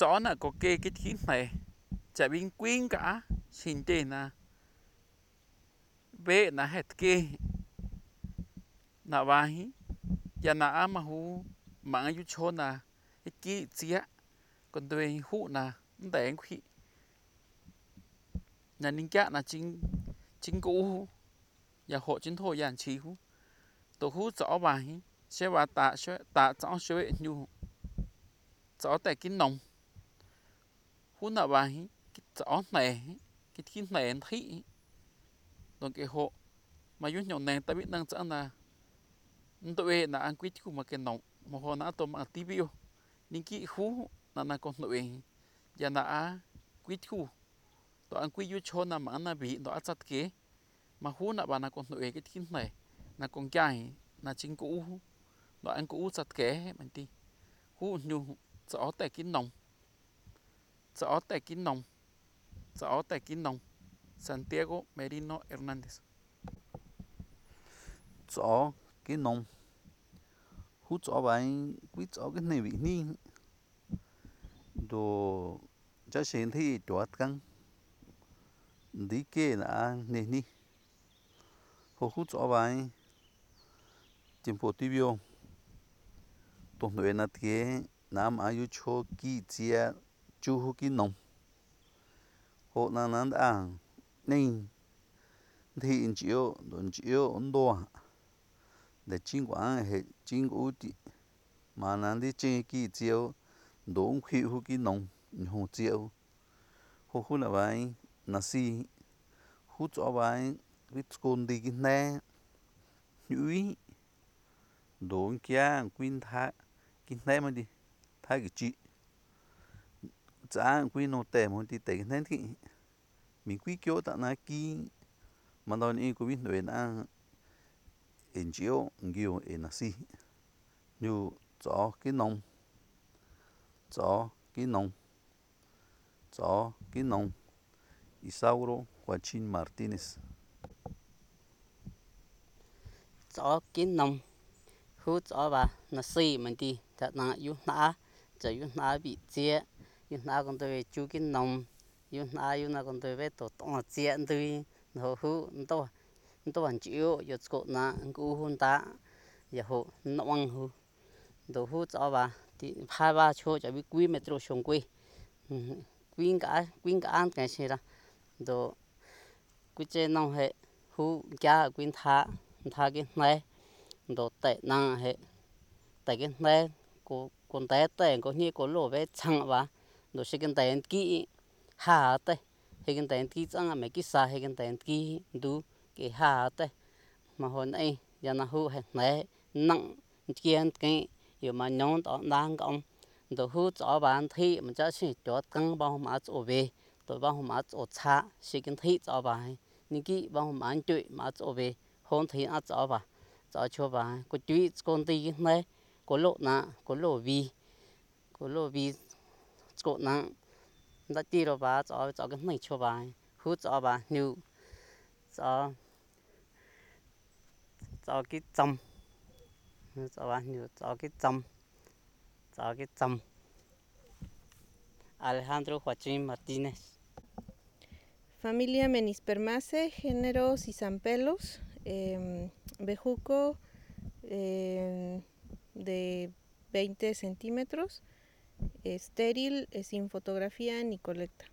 chó nè có kê cái khí này chả bin quyến cả xin tên nè bé nè hết kê nè vai ya nè mà hú mà yu chó nè cái kỹ chia còn tôi hú nè để khi nè ninh chả nè chính chính cũ ya hộ chính thôi ya chỉ hú tổ hú chó bài sẽ vào tạ chó sẽ nhu chó tại cái nòng hú nè bài cái chó này cái khí này thấy còn cái hộ mà yun nhậu nè ta biết năng chẳng là tụi là ăn quýt của mà cái nòng mà họ nã tôm ăn tivi nhưng kỹ khú là con tụi giờ nã quýt khu tụi ăn quýt yun cho mà ăn bị tụi ăn chặt kế mà hú nã bà là con tụi cái thiên này là con trai là chính cũ tụi ăn cũ chặt kế mình đi hú nhu chó tại cái nòng chó tại cái nòng chó tại cái nòng Santiago Merino Hernández chó cái nông hú chó bạn quý chó cái này bị ni đồ cho xem thì chuột căng đi kia là nè ni hú chó bạn tiempo tibio tổng đội là thế nam ayu cho kỳ chia chú hú cái nông hộ là nán ăn nên thì chịu ấn độ để chính quán hệ chính ưu đi mà nán đi chơi kỳ chiếu đốn khi hú cái nông hồ chiếu hú là vậy nasi hú cho vậy cái con đi cái nè nhúi đốn kia quyên thá cái nè mà đi thá cái chị giá quyên nô tè mà đi tè cái nè thì mình quý kiểu ta na ki mà đòn in của mình đuổi na in chiếu nhiều in nasi như chó cái nông chó cái nông chó cái nông Isauro Joaquín Martínez chó kín nông hú chó bà nó xì mình đi thật là yun nã chờ yun nã bị chia yun nã còn tôi chú kín nông yun nã còn tôi với tổ tông chia tôi nó hú tôi hoàn chịu giờ cột nã cú hun ta giờ hú nó ăn hú đồ hú chó bà thì hai ba chỗ cho biết quý metro sông quý quý cả ăn cái gì đó đồ quý trên nông hệ hú kia quý thả cái này đồ tệ năng hệ tại cái này con té tệ có như có lỗ với chăng và đồ sẽ cái tệ kỹ hà tệ hay cái tệ kỹ chăng mấy cái xa hay cái tệ kỹ đủ cái hà tệ mà hồi nay giờ nó hú hệ này nặng kia cái giờ mà nhón đó đang công đồ hú cho bạn thi mà chắc chỉ cho căng bao mà chỗ về tôi bao mà chỗ xa sẽ cái thi cho bạn những cái bao mà anh chơi mà chỗ về hôn thì ăn cho bà cho bà có chú con tí này có lộ vi có nặng đã đi rồi bà cho cái này cho bà hút cho bà nhiều cho cái châm cho bà nhiều cho cái châm Alejandro Joaquín Martínez. Familia Menispermaceae, género Cisampelos, bejuco de 20 centímetros, estéril, sin fotografía ni colecta.